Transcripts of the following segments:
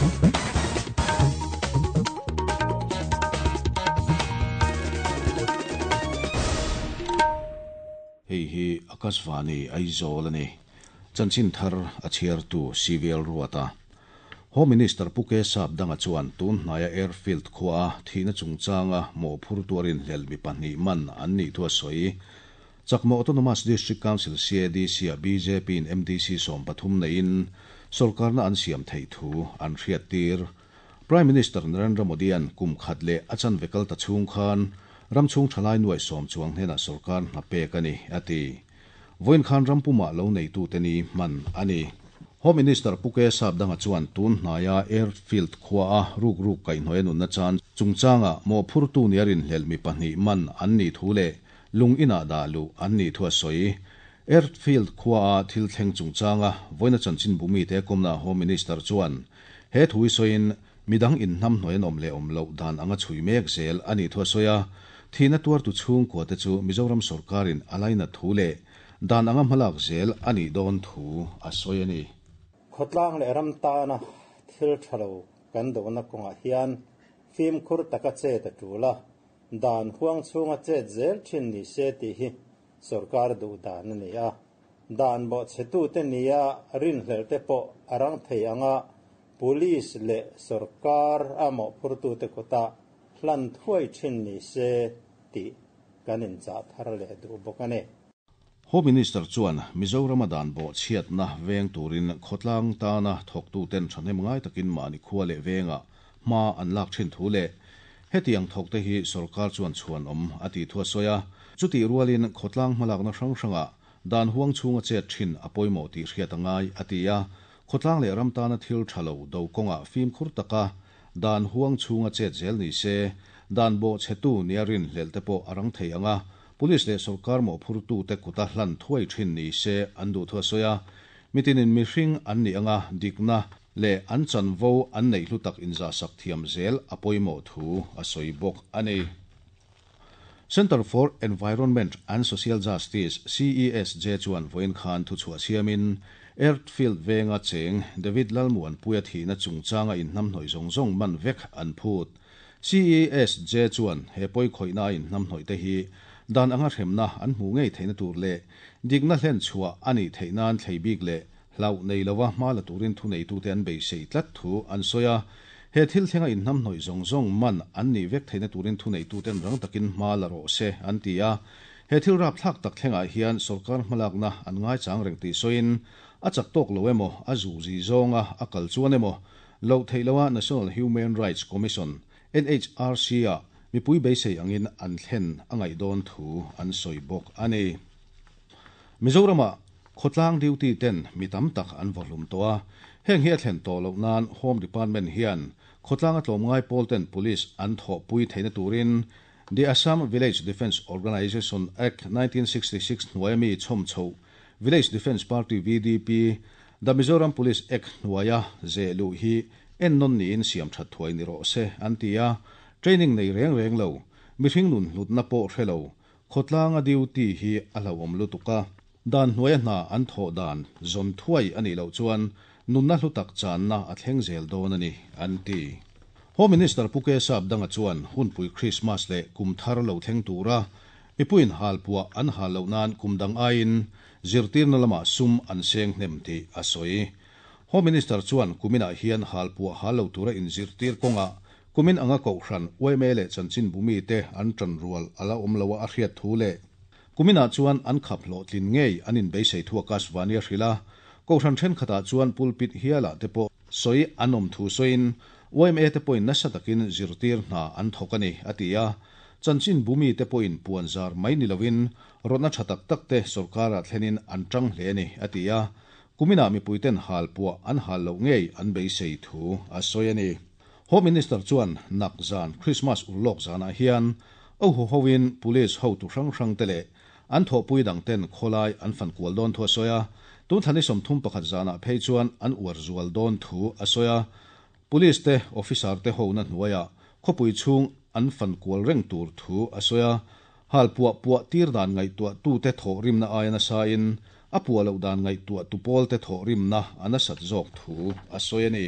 Hei hi Akashvani Aizawl a ni. Chanchin thar a chhiartu CVL Ruata. Home Minister Pu K Sapdanga chuan tun hnaia Airfield khuaa thihna chungchanga mawhphur tuarin hlel mi pahnih man an nih thu a sawi. Chakma Autonomous District Council, CADC, ah bjp in MDC 13 neiin sorkarna an siam theih thu an hriattir. Prime Minister Narendra Modi-a'n kum khat leh a chanve kal ta chhung khan ram chhung thalai nuai sawm chuang hnenah sorkar hna pek a ni, a ti. Vawiin khan ram pumah lo neitute ni hman a ni. Home Minister Pu K Sapdanga chuan tun hnaia Airfield khuaa rukruk kaihhnawih a nunna chan chungchangah mawhphurtu nia rinhlelh mi pahnih man an nih thu leh lung inah dah luh an nih thu a sawi. Airfield khuaa thil thleng chungchanga vawiina chanchinbu mite kawmnaah Home Minister chuan he thu hi sawiin midang inhnamhnawih an awm leh awm loh dan anga chhui mek zel a nih thu a sawi a. Thihna tuartu chhungkuate chu Mizoram sorkarin a lainat thu leh dan anga hmalak zel a nih dawn thu a sawi a ni. Khawtlang leh ram tana thil tha lo kan dohna kawngah hian fimkhur taka chet a tul a, dan huang chhunga chet zel thin ni se tih hi sorkar duh dan a ni a. Dan bawhchhetute nia rinhlelhte pawh a rang thei anga police leh sorkar a mawhphurtute kutah hlan thuai thin ni se tih kan inchah thar leh duh bawk a ni. Home Minister chuan Mizorama dan bawhchhiatna veng turin khawtlang tana thawktuten thahnem ngai takin mahni khua leh vengah hma an lak thin thu leh hetiang thawkte hi sorkar chuan chhuanawm a tih thu a sawi a. Chutih rualin khawtlang hmalakna hrang hrangah dan huang chhunga chet thin a pawimawh tih hriat a ngai a ti a. Khawtlang leh ram tana thil tha lo do kawngah fimkhur taka dan huang chhunga chet zel ni se, dan bawhchhetu nia rinhlelh te pawh a rang thei ang a, Police leh sorkar mawhphurtute kuta hlan thuai thin ni se an duh thu a sawi a. Mitinin mihring an nih anga dikna leh an chanvo an neih hlu tak inzahsak thiam zel a pawimawh thu a sawi bawk a ni. Centre for Environment and Social Justice, CESJ, chuan vawiin khan thuchhuah siamin Airfield venga cheng David Lalmuanpuia thihna chungchanga inhnamhnawih zawng zawng man vek an phut. CESJ chuan he pawi khawihna a inhnamhnawih te hi dan anga hremna an hmuh ngei theihna tur leh dikna hlen chhuah a nih theih nan thlei bik leh hlauh nei lova hma la turin thuneitute an beisei tlat thu an sawi a. He thil thlenga inhnamhnawih zawng zawng man an nih vek theihna turin thuneituten rang takin hma la rawh se an ti a. He thil rapthlak tak thlengah hian sorkar hmalakna an ngaichang reng tih sawiin a chak tawk lo emaw, a zuzi zawnga a kal chuan emaw loh theih loha National Human Rights Commission, NHRC, ah mipui beisei angin an thlen a ngaih dawn thu an sawi bawk a ni. Mizoramah khawtlang duty ten mi tam tak an vawhlum tawh a, heng hi a thlen tawh loh nan Home Department hian khawtlanga tlawmngai pawl ten police an thawhpui theihna turin The Assam Village Defence Organisation Act 1966 hnuaia mi chhawm chhoh Village Defence Party, VDP, The Mizoram Police Act hnuaia zeh luh hi ennawn niin siam that thuai ni rawh se, an ti a. Training nei reng reng lo, mihring nun hlutna pawh hre lo, khawtlanga duty hi a hlauhawm lutuk a. Dan hnuaia hna an thawh dan zawn thuai a nih loh chuan nunna hlu tak channa a thleng zel dawn a ni, an ti. Home Minister Pu K Sapdanga chuan hunpui Krismas leh kum thar lo thleng tura mipuiin halpuah an hal loh nan kum dang aiin Zirtirna lamah sum an seng hnem tih a sawi. Home Minister chuan kuminah hian halpuah hal lo tura inzirtir kawngah kumin anga kohhran yma leh chanchinbu mite an tan rual a la awm lo a a hriat thu leh kuminah chuan an khap hlawhtlin ngei an inbeisei thu Akashvani a hrilh a. Kohhran thenkhatah chuan pulpit hialah te pawh sawi an awm thu sawiin yma te pawhin nasa takin zirtir hna an thawk a ni a ti a. Chanchinbu mite pawhin puanzar mai ni loin Rawtna tha tak tak te sorkarah thlenin an tang hle a ni, a ti a. Kuminah mipuiten hal puah an hal loh ngei an beisei thu a sawi a ni. Home Minister chuan nak zan Christmas urlawk zanah hian a hu hoin Police hotu hrang hrang te leh an thawhpui dang ten khawlai an fan kual dawn thu a sawi a. Tun thla ni 31 zanah phei chuan an uar zual dawn thu a sawi a. Police te officer te hona hnuaiah khawpui chhung an fan kual reng tur thu a sawi a, hal puah puah tir dan ngaihtuah tute thawh rimna aia nasain a puah loh dan ngaihtuah tu pawl te thawh rimna a nasat zawk thu a sawi a ni.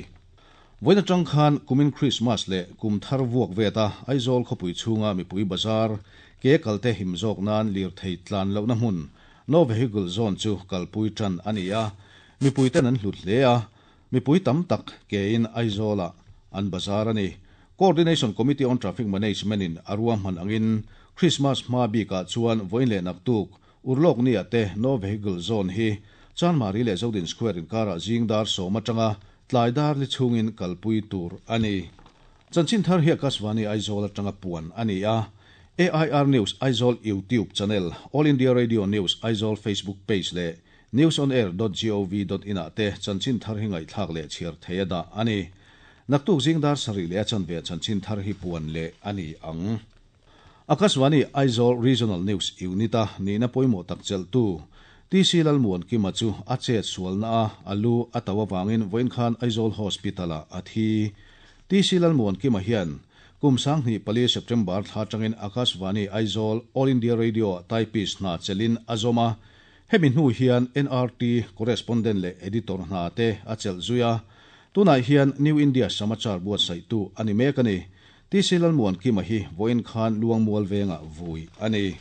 Vawiin atang khan kumin Krismas leh kum thar vuak vet a Aizawl khawpui chhunga mipui bazar ke kalte him zawk nan lirthei tlan lohna hmun No Vehicle Zone chu kalpui tan a ni a, mipui ten an hlut hle a, mipui tam tak ke in Aizawlah an bazar a ni. Coordination Committee on Traffic Management in a ruahman angin Krismas hma bikah chuan vawiin leh naktuk Urlawk nia te No Vehicle Zone hi Chanmari leh Zodin Square inkarah zing dar sawm atanga tlai dar li chhungin kalpui tur a ni. Chanchin thar hi Akashvani Aizawl atanga puan a ni a, AIR News Aizawl YouTube channel, All India Radio News Aizawl Facebook page leh newsonair dot gov dot in ah te chanchin thar hi ngaihthlak leh chhiar thei a dah a ni. Naktuk zing dar sarih leh a chanve chanchin thar hi puan leh a ni ang. Akashvani Aizawl Regional News Unit-a nihna pawimawh tak chelhtu TC Lalmuankima chu a chet sualna a a lu a tauh avangin vawiin khan Aizawl Hospital-ah a thi. TC Lalmuankima hian kum 2004 September thla atangin Akashvani Aizawl All India Radio-ah typist hna chelhin a zawm a, hemi hnu hian NRT correspondent leh editor hna te a chelh zui a, tunah hian New India Samachar buatsaihtu a ni mek a ni. TC Lalmuankima hi vawiin khan Luangmual vengah vui a ni.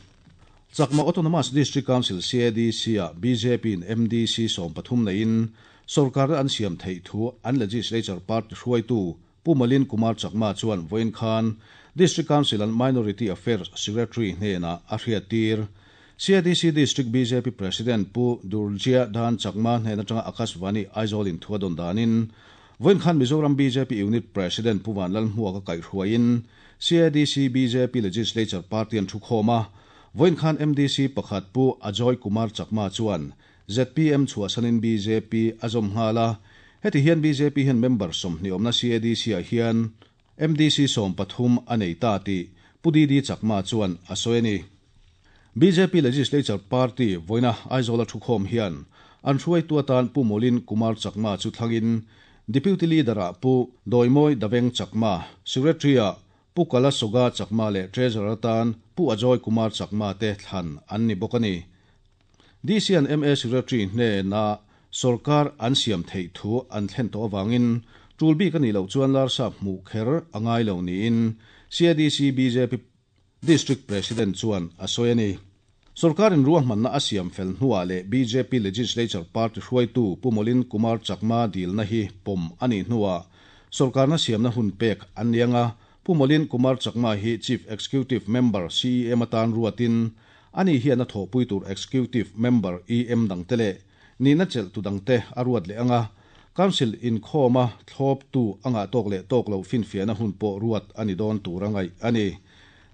Chakma Autonomous District Council, CADC, ah BJP-in MDC 13 neiin sorkarna an siam theih thu an Legislature Party hruaitu Pu Malin Kumar Chakma chuan vawiin khan District Council an Minority Affairs Secretary hnenah a hriattir. CADC District BJP President Pu Durjia Dan Chakma hnen atanga Akashvani Aizawl in thu a dawn danin Vawiin khan Mizoram bjp Unit President Pu Vanlalhmuaka kaihhruaiin CADC bjp Legislature Party an thukhawm a, vawiin khan MDC pakhat Pu Ajoy Kumar Chakma chuan zpm chhuahsanin bjp a zawm nghal a, heti hian bjp hian member 20 awmna CADC-ah hian MDC 13 a nei ta tih Pu DD Chakma chuan a sawi a ni. Bjp Legislature Party vawiina Aizawl a thukhawm hian an hruaitu atan Pu Molin Kumar Chakma chu thlangin Deputy Leader-ah Pu Dawimawi Daveng Chakma, Secretary-ah Pu Kala Soga Chakma leh Treasurer atan Pu Ajoy Kumar Chakma te thlan an ni bawk a ni. DC and MA Secretary hnena sorkar an siam theih thu an thlen tawh avangin tul bik a nih loh chuan Larsap hmuh kher a ngai lo niin CADC bjp District President chuan a sawi a ni. Sorkarin ruahmanna a siam fel hnuah leh bjp Legislature Party hruaitu Pu Molin Kumar Chakma dilna hi pawm a nih hnuah sorkarna siamna hun pek an ni anga Pu Molin Kumar Chakma hi Chief Executive Member, CEM, atan ruatin ani hian a thawhpui tur Executive Member, EM, dangte leh nihna chelhtu dangte a ruat leh anga Council inkhawma thlawptu a ngah tawk leh tawk loh finfiahna hun pawh ruat a ni dawn tur a ngaih a ni.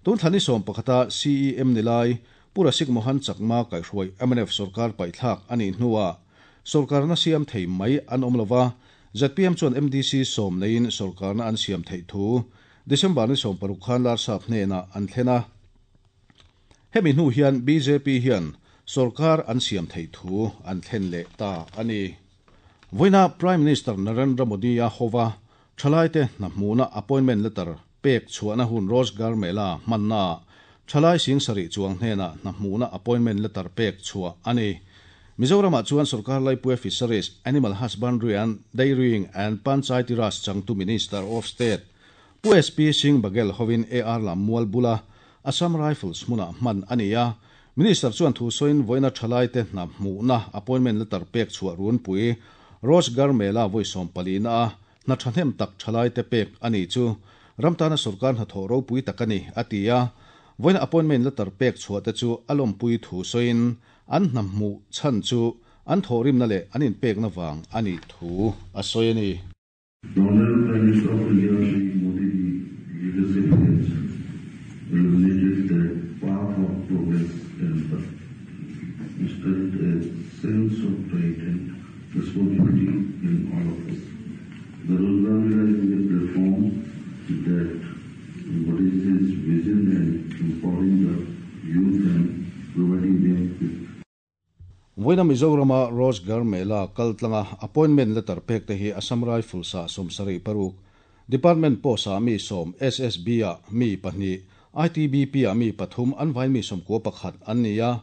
Tun thla ni 11a CEM ni lai Pu Rasik Mohan Chakma kaihhruai mnf sorkar paihthlak a nih hnuah sorkarna siam thei mai an awm lova, zpm chuan MDC 10 neiin sorkarna an siam theih thu December ni 16 khan Larsap hnenah an thlen a. Hemi hnu hian bjp hian sorkar an siam theih thu an thlen leh ta a ni. Vawiina Prime Minister Narendra Modi a hova thalaite hna hmuhna appointment letter pek chhuahna hun Rozgar Mela hmanna thalai sing sarih chuang hnenah hna hmuhna appointment letter pek chhuah a ni. Mizoramah chuan sorkar laipui Fisheries, Animal Husbandry and Dairying and Panchayati Raj changtu Minister of State Pu SP Singh Baghel hovin AR lam mual bula Assam Rifles hmunah hman a ni a. Minister chuan thu sawiin vawiina thalaite hna hmuhna appointment letter pek chhuah runpui Rozgar Mela vawi 14 na a hna thahnem tak thalaite pek a ni chu ram tana sorkar hna thawh ropui tak a ni a ti a. Vawiina appointment letter pek chhuah te chu a lawmpui thu sawiin an hna hmuh chhan chu an thawhrimna leh an inpekna vang a nih thu a sawi a ni. The Honorable Prime Minister of India Shri Modi ji leadership has illuminated the path of progress and instilled a sense of pride and responsibility in all of us. The Rozgar Mela is a platform that embodies his vision and empowering the youth and providing them with Vawiina Mizorama Rozgar Mela kaltlanga appointment letter pek te hi Assam Rifles ah 76, Department post ah mi 10, SSB ah mi 2, ITBP ah mi 3 an vain mi 91 an ni a.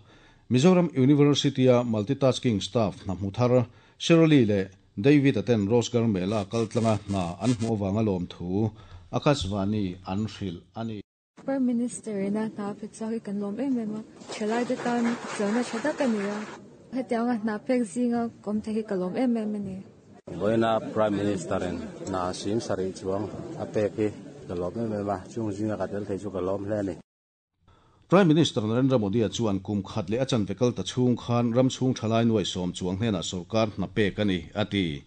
Mizoram University a multitasking staff hna hmu thar Shirley leh David-a ten Rozgar Mela kaltlanga hna an hmuh avanga lawmthu Akashvani an hrilh a ni. Prime Minister ina hna a pe chhuak hi kan lawm em em a, thalaite tan chona tha tak a ni a, hetianga hna pek zinga kawm thei hi ka lawm em em a ni. Vawiina Prime Minister in hna sing sarih chuang a pek hi ka lawm em em a, chung zinga ka tel thei chu ka lawm hle a ni. Prime Minister Narendra Modi-a chuan kum khat leh a chanve kal ta chhung khan ram chhung thalai nuai sawm chuang hnenah sorkar hna pek a ni, a ti.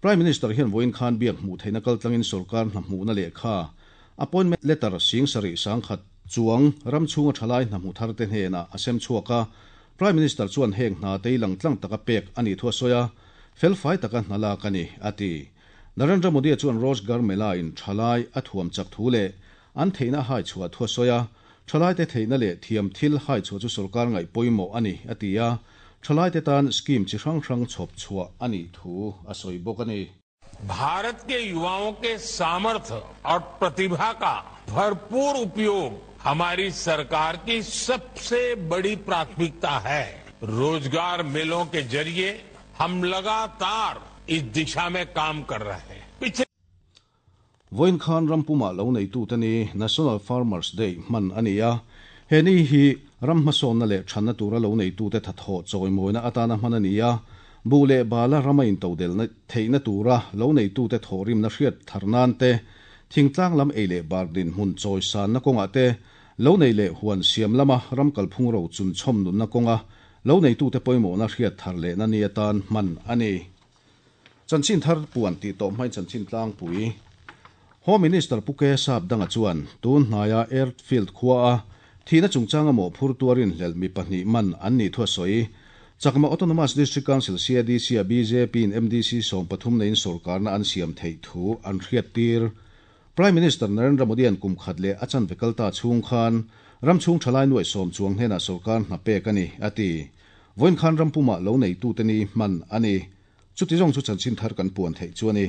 Prime Minister hian vawiin khan biak hmuh theihna kaltlangin sorkar hna hmuhna lehkha, appointment letter, sing sarih sangkhat chuang ram chhunga thalai hna hmu tharte hnenah a sem chhuak a. Prime Minister chuan heng hna te i langtlang taka pek a nih thu a sawi a, felfai taka hna lak a ni, a ti. Narendra Modi-a chuan Rozgar Mela-in thalai a thuam chak thu leh an theihna a hai chhuah thu a sawi a, Thalaite theihna leh thiam thil hai chhuah chu sorkar ngaih pawimawh a ni, a ti a, thalaite tan scheme chi hrang hrang chhawp chhuah a nih thu a sawi bawk a ni. Bharat ke yuvaon ke samarth aur pratibha ka bharpoor upyog hamari sarkar ki sabse badi prathmikta hai. Rozgar melon ke zariye hum lagatar is disha mein kaam kar rahe hain. Pichhle Vawiin khan ram pumah lo neitute ni National Farmers Day hman a ni a, he ni hi ram hmasawnna leh thanna tura lo neitute thathawh chawimawina atana hman a ni a, buh leh bala rama intodelna theihna tura lo neitute thawhrimna hriat thar nan te, thingtlang lam ei leh bar dinhmun chawisanna kawngah te, lo nei leh huan siam lama ram kalphung ro chunchawm nunna kawnga lo neitute pawimawhna hriat thar lehna ni atan hman a ni. Chanchin thar puan tih tawh hmain chanchin tlangpui Home Minister Pu Ke Sapdanga chuan tun hnaia Airfield khua a thihna chungchanga mawhphur tuarin hlelh mi pahnih man an nih thu a sawi. Chakma Autonomous District Council, CADC, a bjp in MDC 13 neiin sorkarna an siam theih thu an hriattir. Prime Minister Narendra Modi-a'n kum khat leh a chanve kal ta chhung khan ram chhung thalai nuaih sawm chuang hnenah sorkar hna pek a ni, a ti. Vawiin khan ram pumah lo neitute ni hman a ni. Chuti zawng chu chanchin thar kan puan theih chu a ni.